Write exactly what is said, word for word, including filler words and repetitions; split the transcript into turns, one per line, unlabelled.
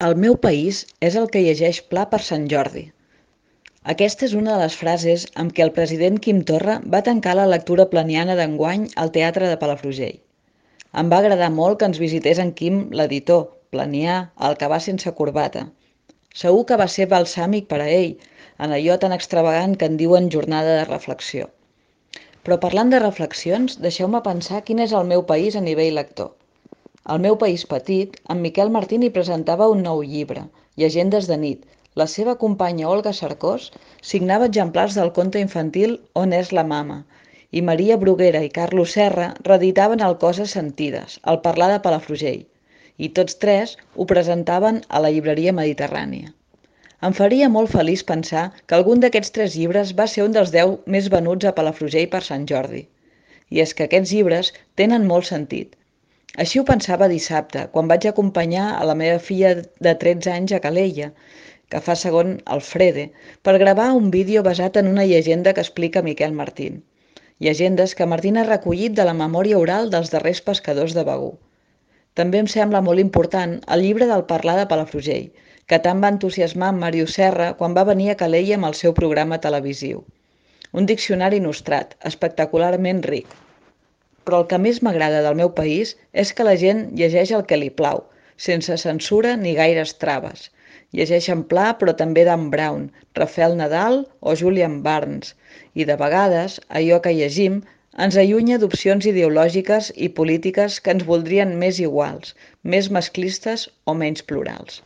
El meu país és el que llegeix Pla per Sant Jordi. Aquesta és una de les frases amb què el president Quim Torra va tancar la lectura planiana d'enguany al Teatre de Palafrugell. Em va agradar molt que ens visités en Quim, l'editor, planià, el que va sense corbata. Segur que va ser balsàmic per a ell, en allò tan extravagant que en diuen jornada de reflexió. Però parlant de reflexions, deixeu-me pensar quin és el meu país a nivell lector. Al meu país petit, en Miquel Martí n'hi presentava un nou llibre, Llegendes de nit. La seva companya Olga Cercós signava exemplars del conte infantil On és la mama, i Maria Bruguera i Carlos Serra reeditaven el Coses sentides, el parlar de Palafrugell, i tots tres ho presentaven a la llibreria Mediterrània. Em faria molt feliç pensar que algun d'aquests tres llibres va ser un dels deu més venuts a Palafrugell per Sant Jordi. I és que aquests llibres tenen molt sentit. Així ho pensava dissabte, quan vaig acompanyar a la meva filla de tretze anys a Calella, que fa segon Alfrede, per gravar un vídeo basat en una llegenda que explica Miquel Martín. Llegendes que Martín ha recollit de la memòria oral dels darrers pescadors de Begur. També em sembla molt important el llibre del parlar de Palafrugell, que tant va entusiasmar en Màrius Serra quan va venir a Calella amb el seu programa televisiu. Un diccionari nostrat, espectacularment ric. Però el que més m'agrada del meu país és que la gent llegeix el que li plau, sense censura ni gaires traves. Llegeixen Pla, però també Dan Brown, Rafael Nadal o Julian Barnes, i de vegades allò que llegim ens allunya d'opcions ideològiques i polítiques que ens voldrien més iguals, més masclistes o menys plurals.